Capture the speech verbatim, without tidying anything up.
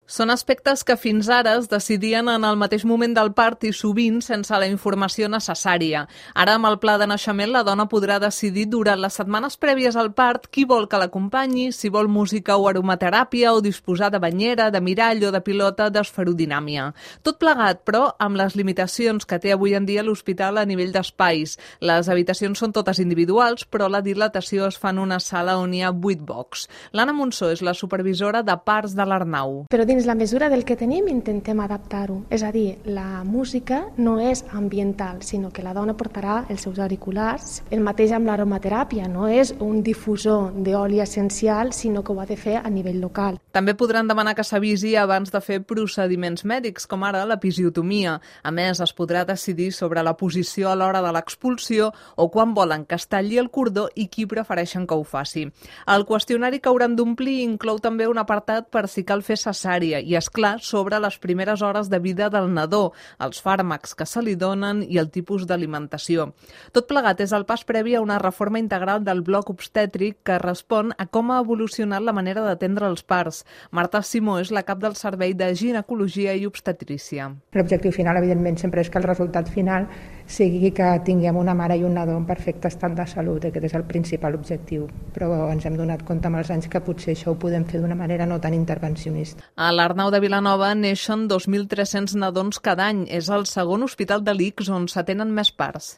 Són aspectes que fins ara es decidien en el mateix moment del part i sovint sense la informació necessària. Ara, amb el pla de naixement, la dona podrà decidir durant les setmanes prèvies al part qui vol que l'acompanyi, si vol música o aromateràpia o disposar de banyera, de mirall o de pilota d'esferodinàmia. Tot plegat, però, amb les limitacions que té avui en dia l'hospital a nivell d'espais. Les habitacions són totes individuals, però la dilatació es fa en una sala on hi ha vuit bocs. L'Anna Monsó és la supervisora de parts de l'Arnau. Però dins la mesura del que tenim intentem adaptar-ho. És a dir, la música no és ambiental, sinó que la dona portarà els seus auriculars. El mateix amb l'aromateràpia, no és un difusor d'oli essencial, sinó que ho ha de fer a nivell local. També podran demanar que s'avisi abans de fer procediments mèdics, com ara l'episiotomia. A més, es podrà decidir sobre la posició a l'hora de l'expulsió o quan volen que es talli el cordó i qui prefereixen que ho faci. El qüestionari que hauran d'omplir inclou també un apartat per si cal fer cesària i, és clar, sobre les primeres hores de vida del nadó, els fàrmacs que se li donen i el tipus d'alimentació. Tot plegat és el pas previ a una reforma integral del bloc obstètric que respon a com ha evolucionat la manera d'atendre els parts. Marta Simó és la cap del Servei de Ginecologia i Obstetrícia. L'objectiu final, evidentment, sempre és que el resultat final sigui que tinguem una mare i un nadó en perfecte estat de salut. Aquest és el principal objectiu, però ens hem donat compte amb els anys que potser això ho podem fer d'una manera no tan intervencionista. A l'Arnau de Vilanova neixen dos mil tres-cents nadons cada any. És el segon hospital de l'I C S on s'atenen més parts.